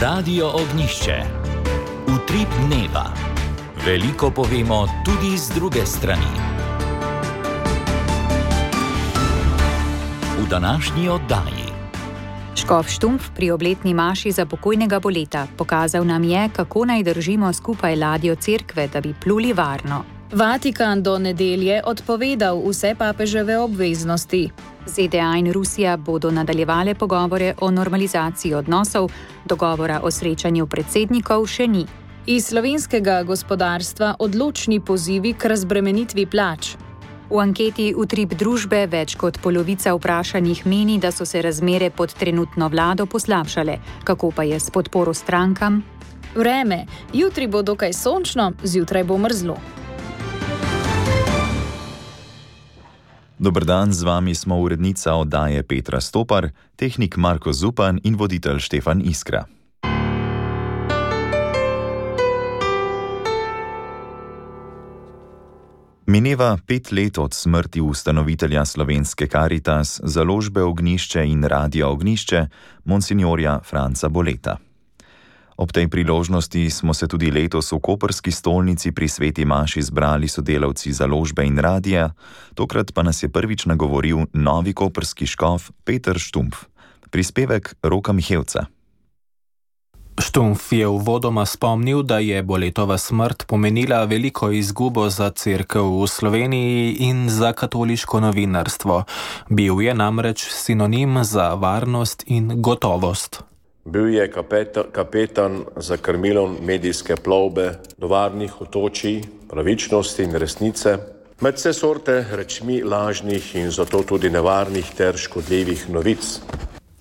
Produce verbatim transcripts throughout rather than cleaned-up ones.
Radio Ognišče. Utrip dneva. Veliko povemo tudi z druge strani. V današnji oddaji. Škof Štumpf pri obletni maši za pokojnega Boleta pokazal nam je, kako naj držimo skupaj ladjo cerkve, da bi pluli varno. Vatikan do nedelje odpovedal vse papeževe obveznosti. Z D A in Rusija bodo nadaljevale pogovore o normalizaciji odnosov, dogovora o srečanju predsednikov še ni. Iz slovenskega gospodarstva odločni pozivi k razbremenitvi plač. V anketi Utrip družbe več kot polovica vprašanih meni, da so se razmere pod trenutno vlado poslabšale. Kako pa je s podporo strankam? Vreme. Jutri bo dokaj sončno, zjutraj bo mrzlo. Dober dan, z vami smo urednica oddaje Petra Stopar, tehnik Marko Zupan in voditelj Štefan Iskra. Mineva pet let od smrti ustanovitelja slovenske Karitas, založbe Ognjišče in Radia Ognjišče, monsinjorja Franca Boleta. Ob tej priložnosti smo se tudi letos v koprski stolnici pri sveti maši zbrali sodelavci založbe in radija, tokrat pa nas je prvič nagovoril novi koprski škof Peter Štumpf. Prispevek Roka Mihevca. Štumpf je uvodoma spomnil, da je Boletova smrt pomenila veliko izgubo za cerkev v Sloveniji in za katoliško novinarstvo. Bil je namreč sinonim za varnost in gotovost. Bil je kapetan, kapetan za krmilom medijske plovbe do varnih otočij, pravičnosti in resnice, med vse sorte rečmi lažnih in zato tudi nevarnih ter škodljivih novic.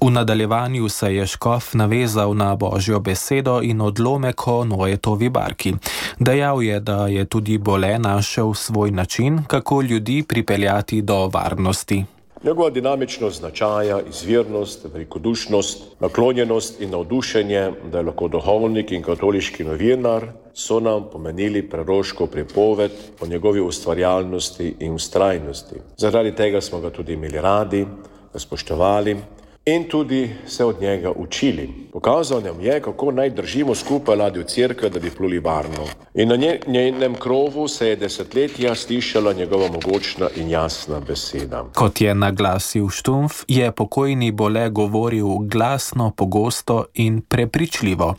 V nadaljevanju se je škof navezal na Božjo besedo in odlomek o Noetovi barki. Dejal je, da je tudi Bole našel svoj način, kako ljudi pripeljati do varnosti. Njegova dinamičnost značaja, izvirnost, velikodušnost, naklonjenost in navdušenje, da je lahko duhovnik in katoliški novinar, so nam pomenili preroško pripoved o njegovi ustvarjalnosti in vztrajnosti. Zaradi tega smo ga tudi imeli radi, ga spoštovali in tudi se od njega učili. Pokazal nam je, kako naj držimo skupaj ladjo cerkve, da bi pluli varno. In na njenem krovu se je desetletja slišala njegova mogočna in jasna beseda. Kot je naglasil Štumpf, je pokojni Bole govoril glasno, pogosto in prepričljivo.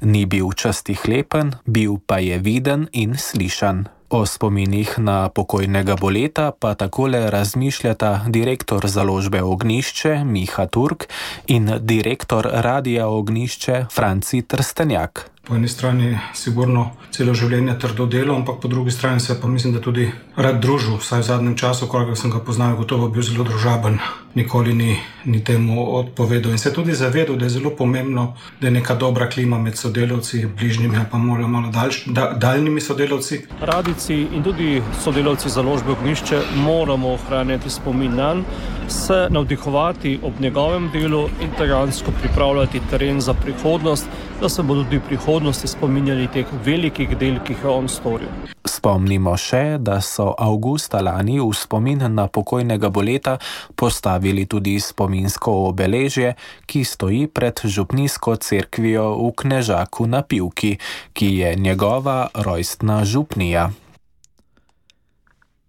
Ni bil častihlepen, bil pa je viden in slišan. O spominih na pokojnega Boleta pa takole razmišljata direktor založbe Ognjišče Miha Turk in direktor Radia Ognjišče Franci Trstenjak. Po eni strani sigurno celo življenje trdo delo, ampak po drugi strani se pa mislim, da tudi rad družil, vsaj v zadnjem času, koliko sem ga poznal, gotovo bil zelo družaben, nikoli ni, ni temu odpovedal in se tudi zavedal, da je zelo pomembno, da je neka dobra klima med sodelavci, bližnjimi pa malo, malo daljš, da, daljnimi sodelavci. Radijci in tudi sodelavci založbe Ognjišče moramo ohranjati spomin nanj, se navdihovati ob njegovem delu in dejansko pripravljati teren za prihodnost, da se bodo tudi v prihodnosti spominjali teh velikih del, ki jih je on storil. Spomnimo še, da so avgusta lani v spomin na pokojnega Boleta postavili tudi spominsko obeležje, ki stoji pred župnijsko cerkvijo v Knežaku na Pivki, ki je njegova rojstna župnija.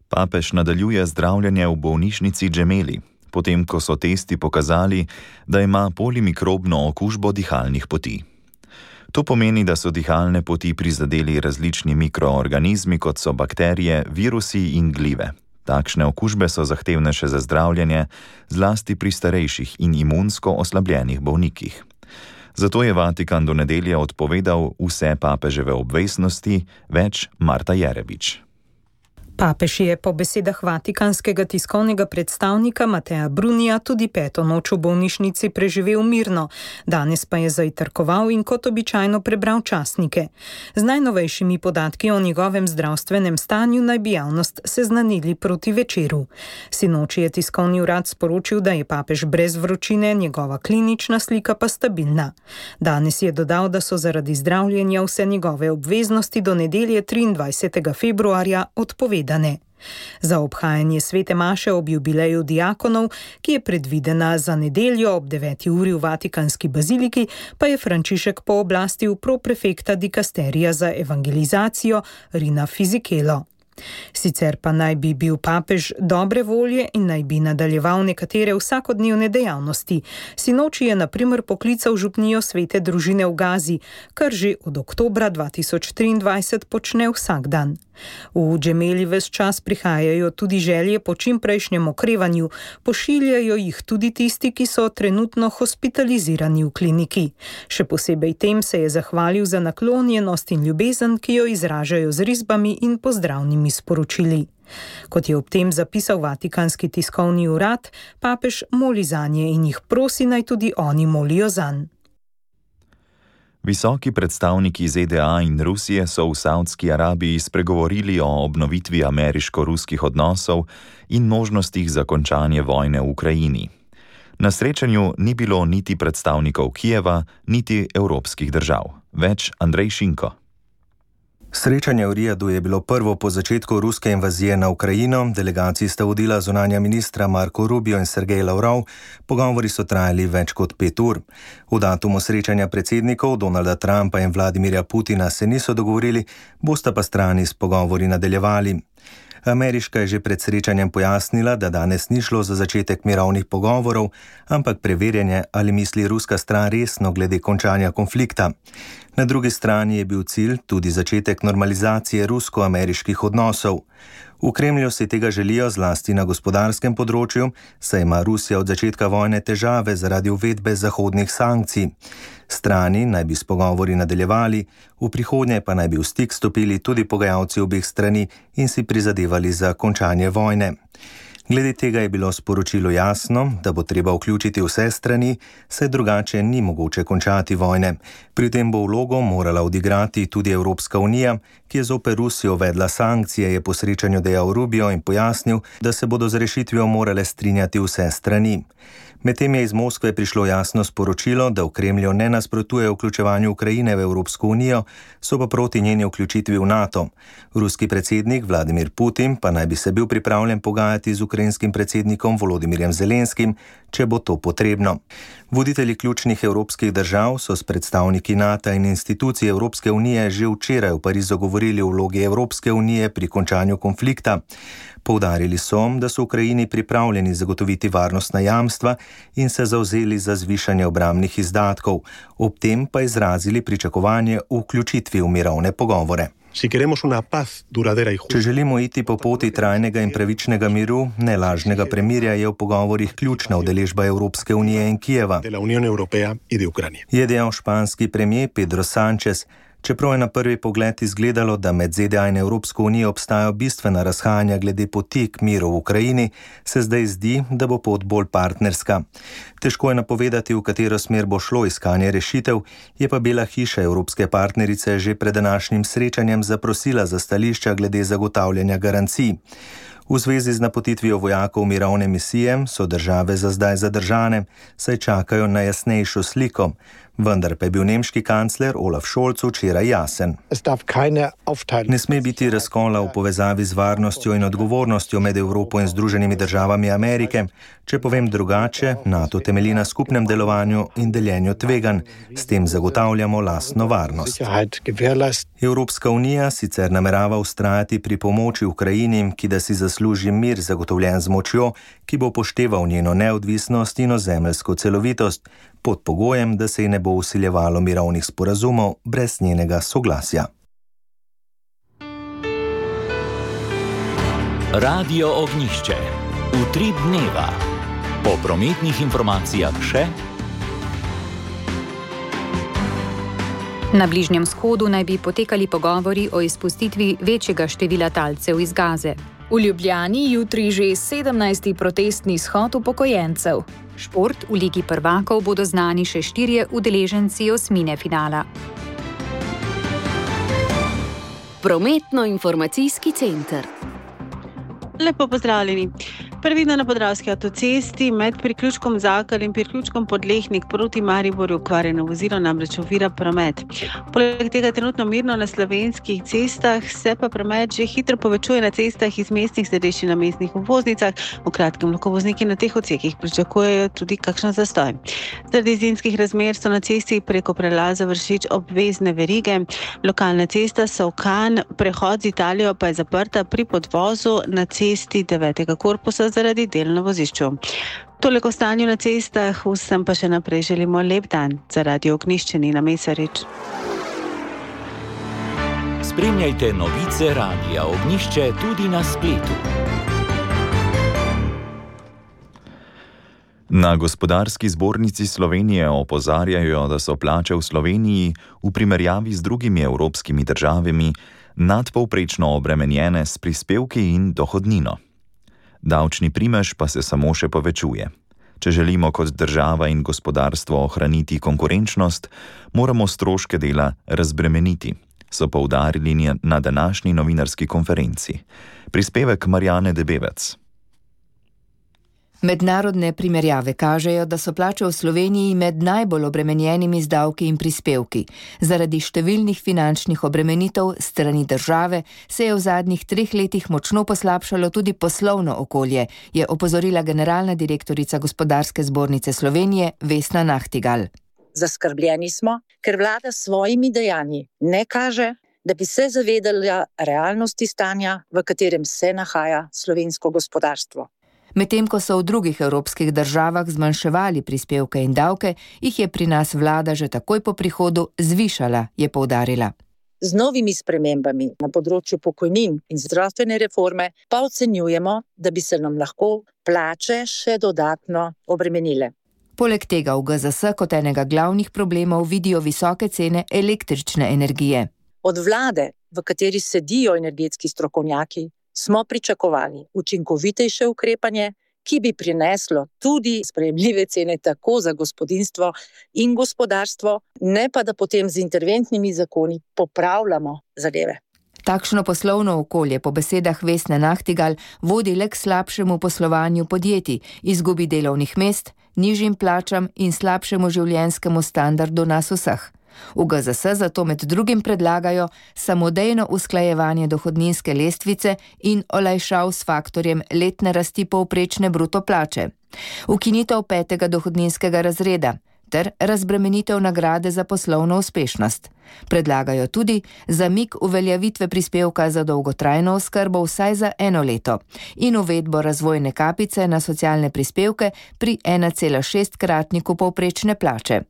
Papež nadaljuje zdravljenje v bolnišnici Gemelli, potem ko so testi pokazali, da ima polimikrobno okužbo dihalnih poti. To pomeni, da so dihalne poti prizadeli različni mikroorganizmi, kot so bakterije, virusi in glive. Takšne okužbe so zahtevne še za zdravljenje, zlasti pri starejših in imunsko oslabljenih bolnikih. Zato je Vatikan do nedelje odpovedal vse papeževe obveznosti, več Marta Jerebič. Papež je po besedah vatikanskega tiskovnega predstavnika Mateja Brunija tudi peto noč v bolnišnici preživel mirno, danes pa je zajtrkoval in kot običajno prebral časnike. Z najnovejšimi podatki o njegovem zdravstvenem stanju naj bi javnost seznanili proti večeru. Sinoči je tiskovni urad sporočil, da je papež brez vročine, njegova klinična slika pa stabilna. Danes je dodal, da so zaradi zdravljenja vse njegove obveznosti do nedelje triindvajsetega februarja odpovedane. Za obhajanje svete maše ob jubileju diakonov, ki je predvidena za nedeljo ob deveti uri v Vatikanski baziliki, pa je Frančišek pooblastil proprefekta dikasterija za evangelizacijo Rina Fizikelo. Sicer pa naj bi bil papež dobre volje in naj bi nadaljeval nekatere vsakodnevne dejavnosti. Sinoči je na primer poklical župnijo svete družine v Gazi, kar že od oktobra dva tisoč triindvajset počne vsak dan. V Džemeli ves čas prihajajo tudi želje po čimprejšnjem okrevanju, pošiljajo jih tudi tisti, ki so trenutno hospitalizirani v kliniki. Še posebej tem se je zahvalil za naklonjenost in ljubezen, ki jo izražajo z risbami in pozdravnimi sporočili. Kot je ob tem zapisal Vatikanski tiskovni urad, papež moli zanje in jih prosi, naj tudi oni molijo zanj. Visoki predstavniki Z D A in Rusije so v Saudski Arabiji spregovorili o obnovitvi ameriško-ruskih odnosov in možnostih za končanje vojne v Ukrajini. Na srečanju ni bilo niti predstavnikov Kijeva, niti evropskih držav. Več Andrej Šinko. Srečanje v Rijadu je bilo prvo po začetku ruske invazije na Ukrajino. Delegaciji sta vodila zunanja ministra Marko Rubio in Sergej Lavrov. Pogovori so trajali več kot pet ur. V datumu srečanja predsednikov Donalda Trumpa in Vladimirja Putina se niso dogovorili, bosta pa strani s pogovori nadaljevali. Ameriška je že pred srečanjem pojasnila, da danes ni šlo za začetek mirovnih pogovorov, ampak preverjanje, ali misli ruska stran resno glede končanja konflikta. Na drugi strani je bil cilj tudi začetek normalizacije rusko-ameriških odnosov. V Kremlju si tega želijo zlasti na gospodarskem področju, saj ima Rusija od začetka vojne težave zaradi uvedbe zahodnih sankcij. Strani naj bi s pogovori nadaljevali, v prihodnje pa naj bi v stik stopili tudi pogajalci obeh strani in si prizadevali za končanje vojne. Glede tega je bilo sporočilo jasno, da bo treba vključiti vse strani, saj drugače ni mogoče končati vojne. Pri tem bo vlogo morala odigrati tudi Evropska unija, ki je zoper Rusijo uvedla sankcije, je po srečanju dejal Rubio in pojasnil, da se bodo z rešitvijo morale strinjati vse strani. Medtem je iz Moskve prišlo jasno sporočilo, da v Kremlju ne nasprotuje vključevanju Ukrajine v Evropsko unijo, so pa proti njeni vključitvi v NATO. Ruski predsednik Vladimir Putin pa naj bi se bil pripravljen pogajati z ukrajinskim predsednikom Volodimirjem Zelenskim, če bo to potrebno. Voditelji ključnih evropskih držav so s predstavniki NATO in institucij Evropske unije že včeraj v Parizu govorili o vlogi Evropske unije pri končanju konflikta. Poudarili so, da so Ukrajini pripravljeni zagotoviti varnostna jamstva in se zavzeli za zvišanje obrambnih izdatkov, ob tem pa izrazili pričakovanje v vključitvi v mirovne pogovore. Če želimo iti po poti trajnega in pravičnega miru, ne lažnega premirja, je v pogovorih ključna udeležba Evropske unije in Kijeva, je dejal španski premier Pedro Sánchez. Čeprav je na prvi pogled izgledalo, da med Z D A in Evropsko unijo obstajajo bistvena razhajanja glede poti k miru v Ukrajini, se zdaj zdi, da bo pot bolj partnerska. Težko je napovedati, v katero smer bo šlo iskanje rešitev, je pa Bela hiša evropske partnerice že pred današnjim srečanjem zaprosila za stališča glede zagotavljanja garancij. V zvezi z napotitvijo vojakov mirovne misije so države za zdaj zadržane, saj čakajo na jasnejšo sliko. Vendar pa je bil nemški kancler Olaf Scholz včeraj jasen. Ne sme biti razkola v povezavi z varnostjo in odgovornostjo med Evropo in Združenimi državami Amerike. Če povem drugače, NATO temelji na skupnem delovanju in deljenju tveganj. S tem zagotavljamo lastno varnost. Evropska unija sicer namerava vztrajati pri pomoči Ukrajini, ki da si zasluži mir zagotovljen z močjo, ki bo upošteval njeno neodvisnost in ozemeljsko celovitost, pod pogojem, da se ji ne bo vsiljevalo mirovnih sporazumov brez njenega soglasja. Radio Ognjišče. Utrip dneva. Po prometnih informacijah še. Na Bližnjem vzhodu naj bi potekali pogovori o izpustitvi večjega števila talcev iz Gaze. V Ljubljani jutri že sedemnajsti protestni shod upokojencev. Šport, v Ligi prvakov bodo znani še štirje udeleženci osmine finala. Prometno-informacijski center. Lepo pozdravljeni. Previdno na Podravski avtocesti med priključkom Zakal in priključkom Podlehnik proti Mariboru okvarjeno vozilo namreč ovira promet. Poleg tega trenutno mirno na slovenskih cestah, se pa promet že hitro povečuje na cestah iz mestnih središč na mestnih obvoznicah. V kratkem lahko vozniki na teh odsekih pričakujejo tudi kakšen zastoj. Zaradi zimskih razmer so na cesti preko prelaza Vršič obvezne verige. Lokalna cesta Solkan, prehod z Italijo pa je zaprta pri podvozu na cesti devetega korpusa zaradi del na vozišču. Toliko o stanju na cestah, vsem pa še naprej želimo lep dan. Za Radio Ognjišče Nina Mesarič. Spremljajte novice Radia Ognjišče tudi na spletu. Na Gospodarski zbornici Slovenije opozarjajo, da so plače v Sloveniji v primerjavi z drugimi evropskimi državami nadpovprečno obremenjene s prispevki in dohodnino. Davčni primež pa se samo še povečuje. Če želimo kot država in gospodarstvo ohraniti konkurenčnost, moramo stroške dela razbremeniti, so poudarili na današnji novinarski konferenci. Prispevek Marjane Debevec. Mednarodne primerjave kažejo, da so plače v Sloveniji med najbolj obremenjenimi z davki in prispevki. Zaradi številnih finančnih obremenitev strani države se je v zadnjih treh letih močno poslabšalo tudi poslovno okolje, je opozorila generalna direktorica Gospodarske zbornice Slovenije Vesna Nahtigal. Zaskrbljeni smo, ker vlada s svojimi dejanji ne kaže, da bi se zavedala realnosti stanja, v katerem se nahaja slovensko gospodarstvo. Medtem ko so v drugih evropskih državah zmanjševali prispevke in davke, jih je pri nas vlada že takoj po prihodu zvišala, je poudarila. Z novimi spremembami na področju pokojnin in zdravstvene reforme pa ocenjujemo, da bi se nam lahko plače še dodatno obremenile. Poleg tega v G Z S kot enega glavnih problemov vidijo visoke cene električne energije. Od vlade, v kateri sedijo energetski strokovnjaki, smo pričakovali učinkovitejše ukrepanje, ki bi prineslo tudi sprejemljive cene tako za gospodinjstvo in gospodarstvo, ne pa da potem z interventnimi zakoni popravljamo zadeve. Takšno poslovno okolje po besedah Vesne Nahtigal vodi le k slabšemu poslovanju podjetij, izgubi delovnih mest, nižjim plačam in slabšemu življenjskemu standardu nas vseh. V G Z S zato med drugim predlagajo samodejno usklajevanje dohodninske lestvice in olajšav s faktorjem letne rasti povprečne bruto plače, ukinitev petega dohodninskega razreda ter razbremenitev nagrade za poslovno uspešnost. Predlagajo tudi zamik uveljavitve prispevka za dolgotrajno oskrbo vsaj za eno leto in uvedbo razvojne kapice na socialne prispevke pri ena cela šest kratniku povprečne plače.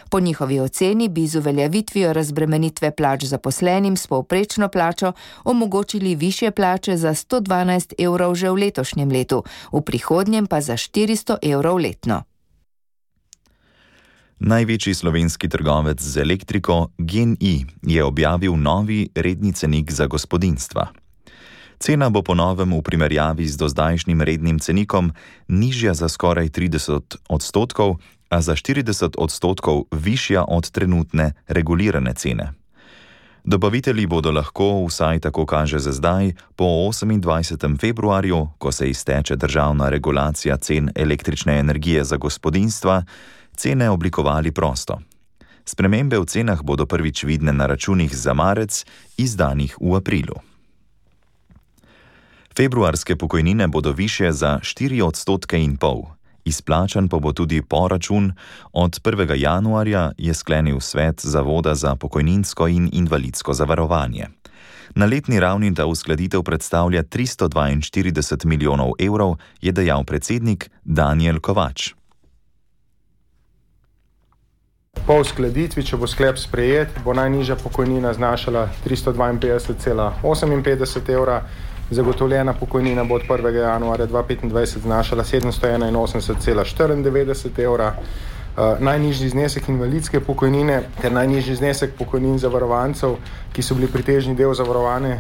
Po njihovi oceni bi z uveljavitvijo razbremenitve plač zaposlenim s povprečno plačo omogočili višje plače za sto dvanajst evrov že v letošnjem letu, v prihodnjem pa za štiristo evrov letno. Največji slovenski trgovec z elektriko GEN-I je objavil novi redni cenik za gospodinjstva. Cena bo po novem v primerjavi z dozdajšnjim rednim cenikom nižja za skoraj trideset odstotkov, a za štirideset odstotkov višja od trenutne regulirane cene. Dobavitelji bodo lahko, vsaj tako kaže za zdaj, po osemindvajsetem februarju, ko se izteče državna regulacija cen električne energije za gospodinjstva, cene oblikovali prosto. Spremembe v cenah bodo prvič vidne na računih za marec, izdanih v aprilu. Februarske pokojnine bodo višje za štiri odstotke in pol. Izplačan pa bo tudi poračun. Od prvega januarja je sklenil svet Zavoda za pokojninsko in invalidsko zavarovanje. Na letni ravni ta uskladitev predstavlja tristo dvainštirideset milijonov evrov, je dejal predsednik Danijel Kovač. Po uskladitvi, če bo sklep sprejet, bo najnižja pokojnina znašala tristo dvainpetdeset cela oseminpetdeset evra, zagotovljena pokojnina bo od prvega januarja dva tisoč petindvajset znašala sedemsto enainosemdeset cela štiriindevetdeset evra. Uh, najnižji znesek invalidske pokojnine ter najnižji znesek pokojnin zavarovancev, ki so bili pritežni del zavarovane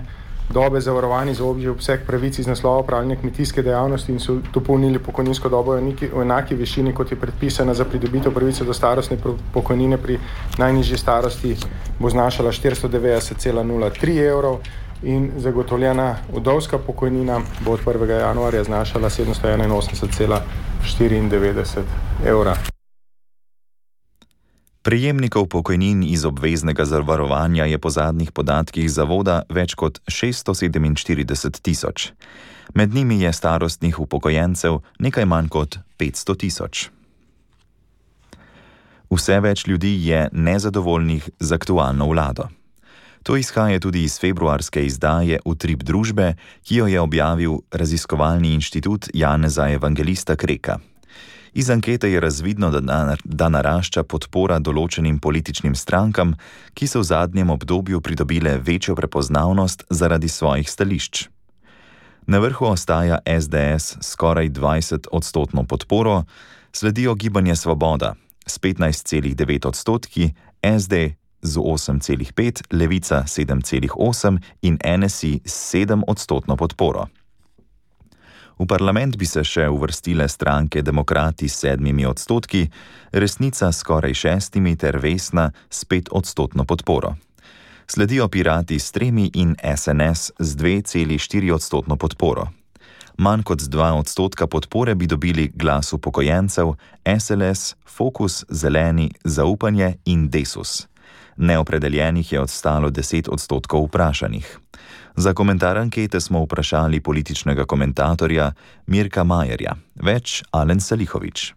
dobe zavarovani za obži obseg pravic iz naslova opravljanja kmetijske dejavnosti in so dopolnili pokojninsko dobo v enaki višini, kot je predpisana za pridobitev pravice do starostne pokojnine pri najnižji starosti, bo znašala štiristo devetdeset cela nula tri evrov. in zagotovljena vdovska pokojnina bo od prvega januarja znašala sedemsto enainosemdeset cela štiriindevetdeset evra. Prejemnikov pokojnin iz obveznega zavarovanja je po zadnjih podatkih zavoda več kot šeststo sedeminštirideset tisoč. Med njimi je starostnih upokojencev nekaj manj kot petsto tisoč. Vse več ljudi je nezadovoljnih z aktualno vlado. To izhaja tudi iz februarske izdaje Utrip družbe, ki jo je objavil raziskovalni inštitut Janeza Evangelista Kreka. Iz ankete je razvidno, da, da narašča podpora določenim političnim strankam, ki so v zadnjem obdobju pridobile večjo prepoznavnost zaradi svojih stališč. Na vrhu ostaja es de es s skoraj dvajset odstotno podporo, sledijo Gibanje Svoboda s petnajst celih devet odstotki, es de z osem celih pet, Levica sedem celih osem in en es i s sedem odstotno podporo. V parlament bi se še uvrstile stranke Demokrati s sedmimi odstotki, Resnica s skoraj šestimi ter Vesna s pet odstotno podporo. Sledijo Pirati s tremi in es en es z dve celih štiri odstotno podporo. Manj kot z dva odstotka podpore bi dobili Glas upokojencev, es el es, Fokus, Zeleni, Zaupanje in Desus. Neopredeljenih je ostalo deset odstotkov vprašanih. Za komentar ankete smo vprašali političnega komentatorja Mirka Majerja. Več Alen Salihovič.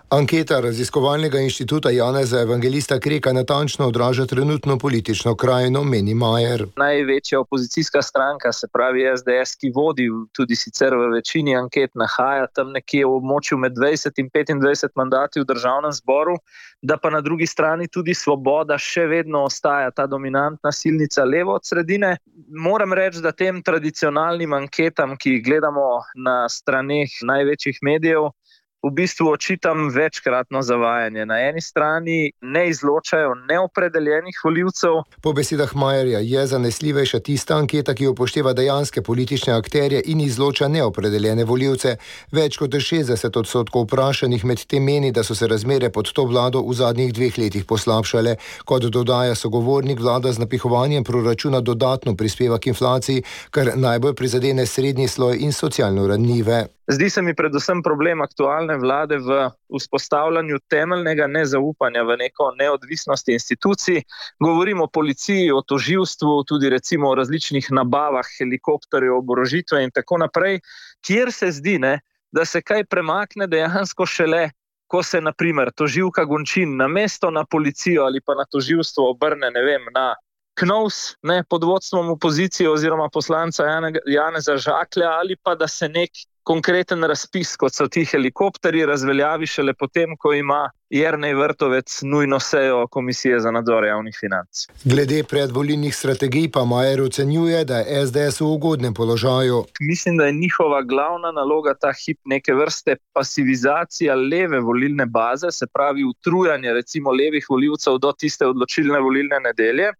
Anketa raziskovalnega inštituta Janeza Evangelista Kreka natančno odraža trenutno politično krajino, meni Majer. Največja opozicijska stranka, se pravi es de es, ki vodi tudi sicer v večini anket, nahaja tam nekje v območju med dvajset in petindvajset mandati v državnem zboru, da pa na drugi strani tudi Svoboda še vedno ostaja ta dominantna silnica levo od sredine. Moram reči, da tem tradicionalnim anketam, ki jih gledamo na straneh največjih medijev, v bistvu očitam večkratno zavajanje. Na eni strani ne izločajo neopredeljenih volivcev. Po besedah Majerja je zanesljivejša tista anketa, ki upošteva dejanske politične akterje in izloča neopredeljene volivce. Več kot šestdeset odstotkov vprašanih med tem meni, da so se razmere pod to vlado v zadnjih dveh letih poslabšale. Kot dodaja sogovornik, vlada z napihovanjem proračuna dodatno prispeva k inflaciji, kar najbolj prizadene srednji sloj in socialno ranljive. Zdi se mi predvsem problem aktualne vlade v vzpostavljanju temeljnega nezaupanja v neko neodvisnost institucij. Govorimo o policiji, o tožilstvu, tudi recimo o različnih nabavah helikopterjev, oborožitve in tako naprej, kjer se zdi, ne, da se kaj premakne dejansko šele, ko se na primer tožilka Gončin namesto na policijo ali pa na tožilstvo obrne, ne vem, na Knovs, ne, pod vodstvom opozicije oziroma poslanca Janeza Žaklja, ali pa da se nek konkreten razpis, kot so ti helikopterji, razveljavi šele potem, ko ima Jernej Vrtovec nujno sejo Komisije za nadzor javnih financ. Glede predvolilnih strategij pa Majer ocenjuje, da je es de es v ugodnem položaju. Mislim, da je njihova glavna naloga ta hip neke vrste pasivizacija leve volilne baze, se pravi utrujanje recimo levih volivcev do tiste odločilne volilne nedelje.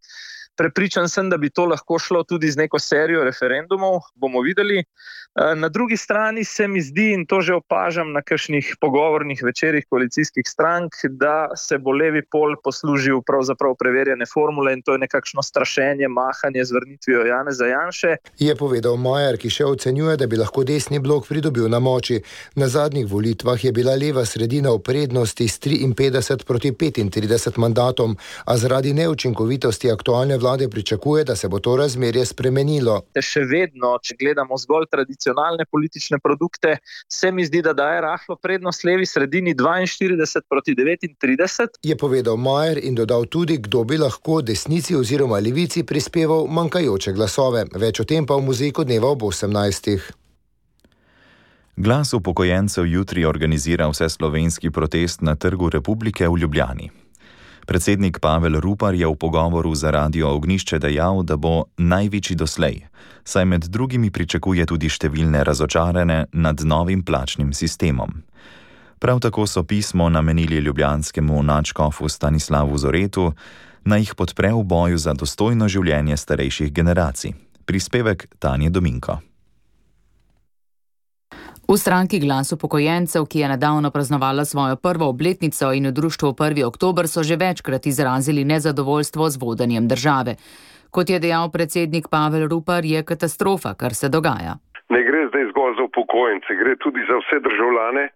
Prepričan sem, da bi to lahko šlo tudi z neko serijo referendumov, bomo videli. Na drugi strani se mi zdi, in to že opažam na kakšnih pogovornih večerih koalicijskih strank, da se bo levi pol poslužil pravzaprav preverjene formule in to je nekakšno strašenje, mahanje z vrnitvijo Janeza Janše. Je povedal Majer, ki še ocenjuje, da bi lahko desni blok pridobil na moči. Na zadnjih volitvah je bila leva sredina v prednosti s triinpetdeset proti petintrideset mandatom, a zaradi neučinkovitosti aktualne vlade pričakuje, da se bo to razmerje spremenilo. Še vedno, če gledamo zgolj tradicionalne politične produkte, se mi zdi, da daje rahlo prednost levi sredini dvainštirideset proti devetintrideset. Je povedal Majer in dodal tudi, kdo bi lahko desnici oziroma levici prispeval manjkajoče glasove. Več o tem pa v Muzejku dneva ob osemnajstih. Glas upokojencev jutri organizira vseslovenski protest na Trgu Republike v Ljubljani. Predsednik Pavel Rupar je v pogovoru za Radio Ognjišče dejal, da bo največji doslej, saj med drugimi pričakuje tudi številne razočarane nad novim plačnim sistemom. Prav tako so pismo namenili ljubljanskemu nadškofu Stanislavu Zoretu, naj jih podpre v boju za dostojno življenje starejših generacij. Prispevek Tanje Dominko. V stranki Glas upokojencev, ki je nedavno praznovala svojo prvo obletnico in v društvu prvi oktober, so že večkrat izrazili nezadovoljstvo z vodenjem države. Kot je dejal predsednik Pavel Rupar, je katastrofa, kar se dogaja. Ne gre zdaj zgolj za upokojence, gre tudi za vse državljane,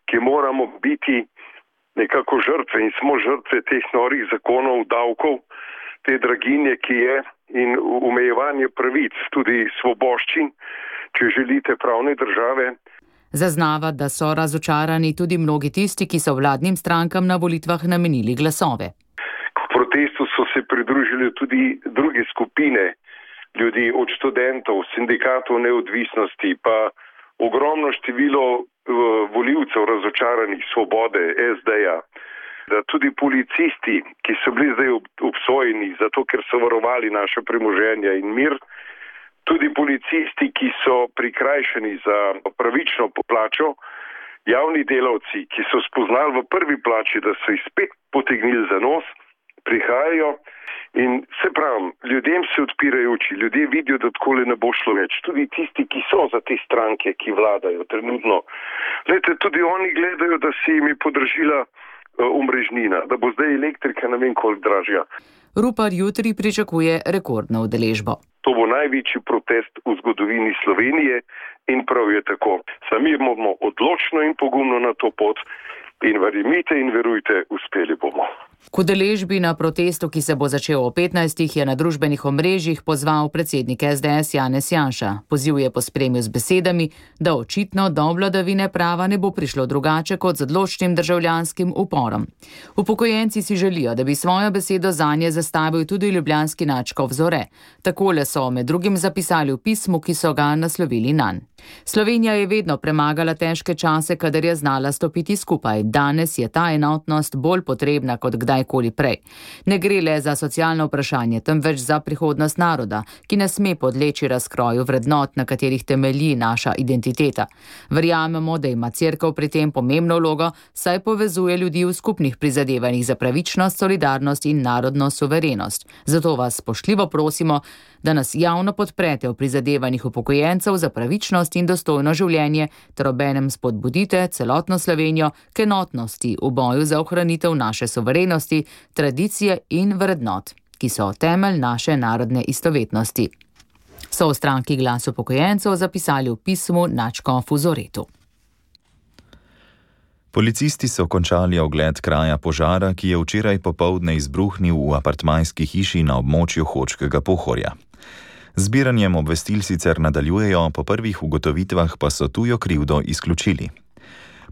ki moramo biti nekako žrtve in smo žrtve teh norih zakonov, davkov, te draginje, ki je, in omejevanje pravic, tudi svoboščin, če želite, pravne države. Zaznava, da so razočarani tudi mnogi tisti, ki so vladnim strankam na volitvah namenili glasove. K protestu so se pridružili tudi druge skupine ljudi, od študentov, sindikatov neodvisnosti, pa ogromno število volivcev razočaranih Svobode, es de-ja, da tudi policisti, ki so bili zdaj obsojeni zato, ker so varovali naše premoženje in mir, tudi policisti, ki so prikrajšani za pravično poplačo, javni delavci, ki so spoznali v prvi plači, da so jih spet potegnili za nos, prihajajo. In se pravim, ljudem se odpirajo oči, ljudje vidijo, da takole ne bo šlo več. Tudi tisti, ki so za te stranke, ki vladajo trenutno. Glede, tudi oni gledajo, da se jim je podražila uh, omrežnina, da bo zdaj elektrika ne vem koliko dražja. Rupar jutri pričakuje rekordno udeležbo. To bo največji protest v zgodovini Slovenije in prav je tako. Sami bomo odločno in pogumno na to pot in verjemite in verujte, uspeli bomo. K udeležbi na protestu, ki se bo začel o petnajstih, je na družbenih omrežjih pozval predsednik es de es Janez Janša. Poziv je pospremil z besedami, da očitno do vladavine prava ne bo prišlo drugače kot z odločnim državljanskim uporom. Upokojenci si želijo, da bi svojo besedo zanje zastavil tudi ljubljanski nadškof Zore. Takole so med drugim zapisali v pismu, ki so ga naslovili nanj. Slovenija je vedno premagala težke čase, kadar je znala stopiti skupaj. Danes je ta enotnost bolj potrebna kot kdajkoli prej. Ne gre le za socialno vprašanje, temveč za prihodnost naroda, ki ne sme podleči razkroju vrednot, na katerih temelji naša identiteta. Verjamemo, da ima Cerkev pri tem pomembno vlogo, saj povezuje ljudi v skupnih prizadevanjih za pravičnost, solidarnost in narodno suverenost. Zato vas spoštljivo prosimo, da nas javno podprete v prizadevanjih upokojencev za pravičnost in dostojno življenje, ter obenem spodbudite celotno Slovenijo k enotnosti v boju za ohranitev naše suverenosti, tradicije in vrednot, ki so temelj naše narodne istovetnosti. So v stranki Glas upokojencev zapisali v pismu nadškofu Zoretu. Policisti so končali ogled kraja požara, ki je včeraj popoldne izbruhnil v apartmajski hiši na območju Hočkega Pohorja. Zbiranjem obvestil sicer nadaljujejo, po prvih ugotovitvah pa so tujo krivdo izključili.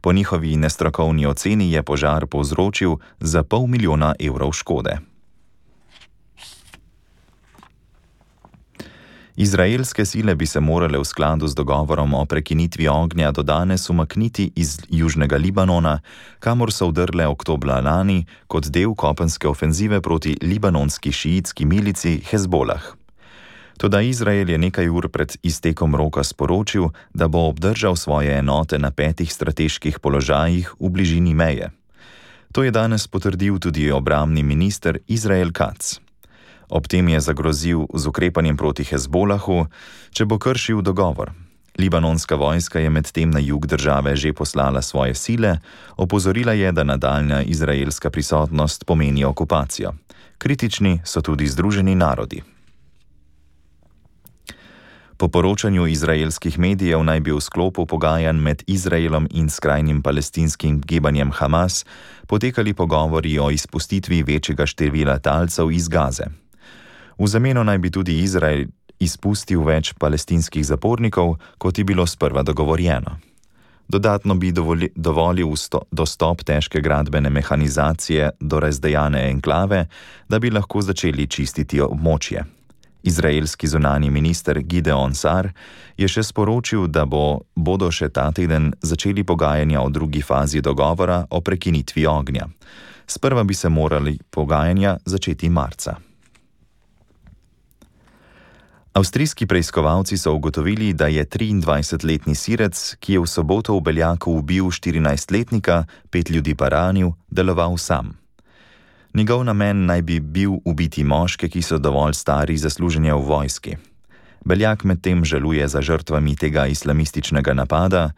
Po njihovi nestrokovni oceni je požar povzročil za pol milijona evrov škode. Izraelske sile bi se morale v skladu z dogovorom o prekinitvi ognja do danes umakniti iz južnega Libanona, kamor so vdrle oktobra lani kot del kopenske ofenzive proti libanonski šiitski milici Hezbolah. Toda Izrael je nekaj ur pred iztekom roka sporočil, da bo obdržal svoje enote na petih strateških položajih v bližini meje. To je danes potrdil tudi obrambni minister Izrael Katz. Ob tem je zagrozil z ukrepanjem proti Hezbolahu, če bo kršil dogovor. Libanonska vojska je medtem na jug države že poslala svoje sile, opozorila je, da nadaljnja izraelska prisotnost pomeni okupacijo. Kritični so tudi Združeni narodi. Po poročanju izraelskih medijev naj bi v sklopu pogajanj med Izraelom in skrajnim palestinskim gibanjem Hamas potekali pogovori o izpustitvi večjega števila talcev iz Gaze. V zameno naj bi tudi Izrael izpustil več palestinskih zapornikov, kot je bilo sprva dogovorjeno. Dodatno bi dovoli, dovolil sto, dostop težke gradbene mehanizacije do razdejane enklave, da bi lahko začeli čistiti območje. Izraelski zunanji minister Gideon Sar je še sporočil, da bo, bodo še ta teden začeli pogajanja o drugi fazi dogovora o prekinitvi ognja. Sprva bi se morali pogajanja začeti marca. Avstrijski preiskovalci so ugotovili, da je triindvajsetletni Sirec, ki je v soboto v Beljaku ubil štirinajstletnika, pet ljudi pa ranil, deloval sam. Njegov namen naj bi bil ubiti moške, ki so dovolj stari za služenje v vojski. Beljak medtem žaluje za žrtvami tega islamističnega napada,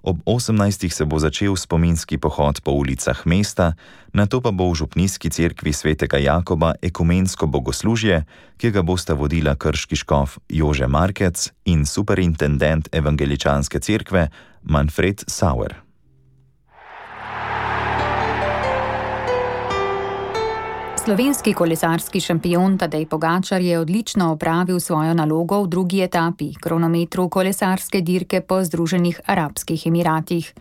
Ob osemnajstih se bo začel spominski pohod po ulicah mesta, nato pa bo v župnijski cerkvi svetega Jakoba ekumensko bogoslužje, ki ga bosta vodila krški škof Jože Markec in superintendent evangeličanske cerkve Manfred Sauer. Slovenski kolesarski šampion Tadej Pogačar je odlično opravil svojo nalogo v drugi etapi, kronometru kolesarske dirke po Združenih arabskih emiratih.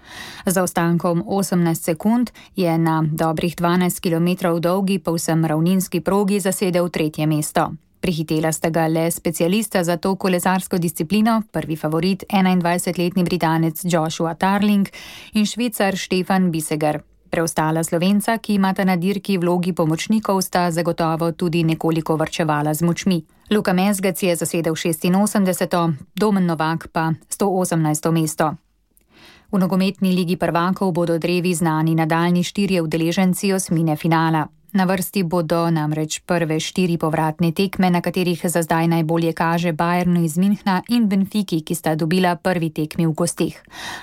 Z zaostankom osemnajst sekund je na dobrih dvanajst kilometrov dolgi povsem ravninski progi zasedel tretje mesto. Prihitela sta ga le specialista za to kolesarsko disciplino, prvi favorit enaindvajsetletni Britanec Joshua Tarling in Švicar Stefan Biseger. Preostala Slovenca, ki imata na dirki vlogi pomočnikov, sta zagotovo tudi nekoliko varčevala z močmi. Luka Mezgec je zasedel šestinosemdeseto, Domen Novak pa sto osemnajsto mesto. V nogometni ligi prvakov bodo drevi znani nadaljnji štirje udeleženci osmine finala. Na vrsti bodo namreč prve štiri povratne tekme, na katerih za zdaj najbolje kaže Bayernu iz Münchna in Benfiki, ki sta dobila prvi tekmi v gosteh.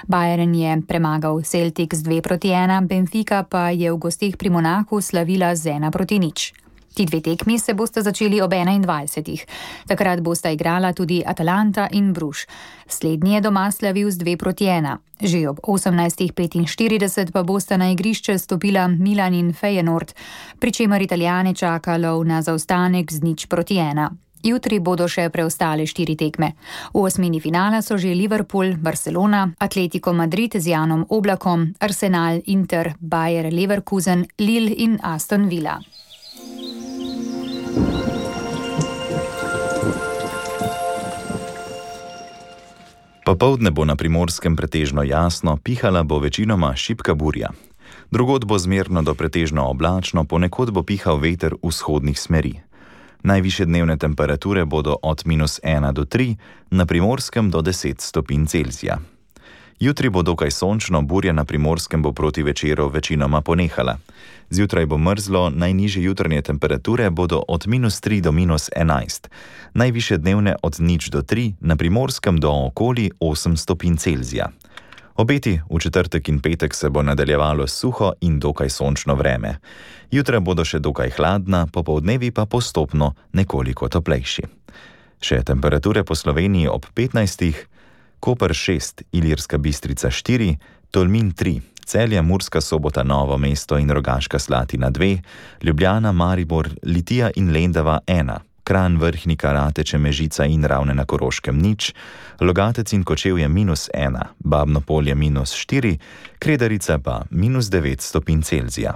Bayern je premagal Celtic z dve proti ena, Benfica pa je v gosteh pri Monaku slavila z ena proti nič. Ti dve tekmi se bosta začeli ob enaindvajsetih. Takrat bosta igrala tudi Atalanta in Bruž. Slednji je doma slavil z dve proti ena. Že ob osemnajstih petinštirideset pa bosta na igrišče stopila Milan in Feyenoord, pri čemer Italijane čaka lov na zaostanek z nič proti ena. Jutri bodo še preostale štiri tekme. V osmini finala so že Liverpool, Barcelona, Atletico Madrid z Janom Oblakom, Arsenal, Inter, Bayer Leverkusen, Lille in Aston Villa. Popoldne bo na Primorskem pretežno jasno, pihala bo večinoma šibka burja. Drugod bo zmerno do pretežno oblačno, ponekod bo pihal veter vzhodnih smeri. Najvišje dnevne temperature bodo od minus ena do tri, na Primorskem do deset stopinj Celzija. Jutri bo dokaj sončno, burja na Primorskem bo proti večeru večinoma ponehala. Zjutraj bo mrzlo, najnižje jutranje temperature bodo od minus tri do minus enajst, najvišje dnevne od nič do tri, na Primorskem do okoli osem stopinj Celzija. Obeti v četrtek in petek se bo nadaljevalo suho in dokaj sončno vreme. Jutra bodo še dokaj hladna, popoldnevi pa postopno nekoliko toplejši. Še temperature po Sloveniji ob petnajstih, Koper šest, Ilirska Bistrica štiri, Tolmin tri, Celje, Murska Sobota, Novo mesto in Rogaška Slatina dve, Ljubljana, Maribor, Litija in Lendava ena, Kranj, Vrhnika, Rateče, Mežica in Ravne na Koroškem nič, Logatec in Kočevje minus ena, Babno Polje minus štiri, Kredarica pa minus devet stopinj Celzija.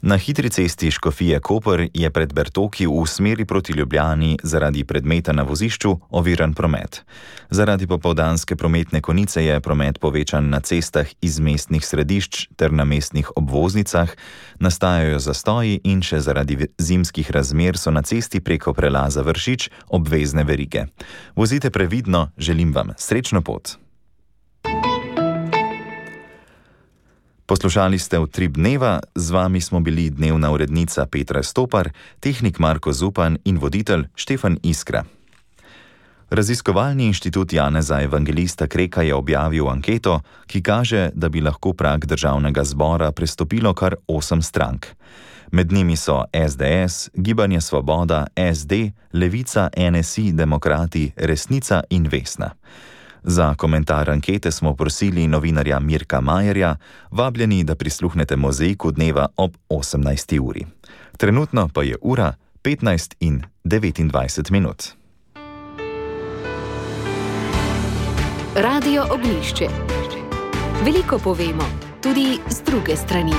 Na hitri cesti Škofije Koper je pred Bertoki v smeri proti Ljubljani zaradi predmeta na vozišču oviran promet. Zaradi popoldanske prometne konice je promet povečan na cestah iz mestnih središč ter na mestnih obvoznicah, nastajajo zastoji in še zaradi zimskih razmer so na cesti preko prelaza Vršič obvezne verige. Vozite previdno, želim vam srečno pot. Poslušali ste Utrip dneva, z vami smo bili dnevna urednica Petra Stopar, tehnik Marko Zupan in voditelj Štefan Iskra. Raziskovalni inštitut Janeza Evangelista Kreka je objavil anketo, ki kaže, da bi lahko prag državnega zbora prestopilo kar osem strank. Med njimi so es de es, Gibanje Svoboda, es de, Levica, en es i, Demokrati, Resnica in Vesna. Za komentar ankete smo prosili novinarja Mirka Majerja, vabljeni, da prisluhnete mozaiku dneva ob osemnajsti uri. Trenutno pa je ura petnajst in devetindvajset minut. Radio Ognjišče. Veliko povemo, tudi z druge strani.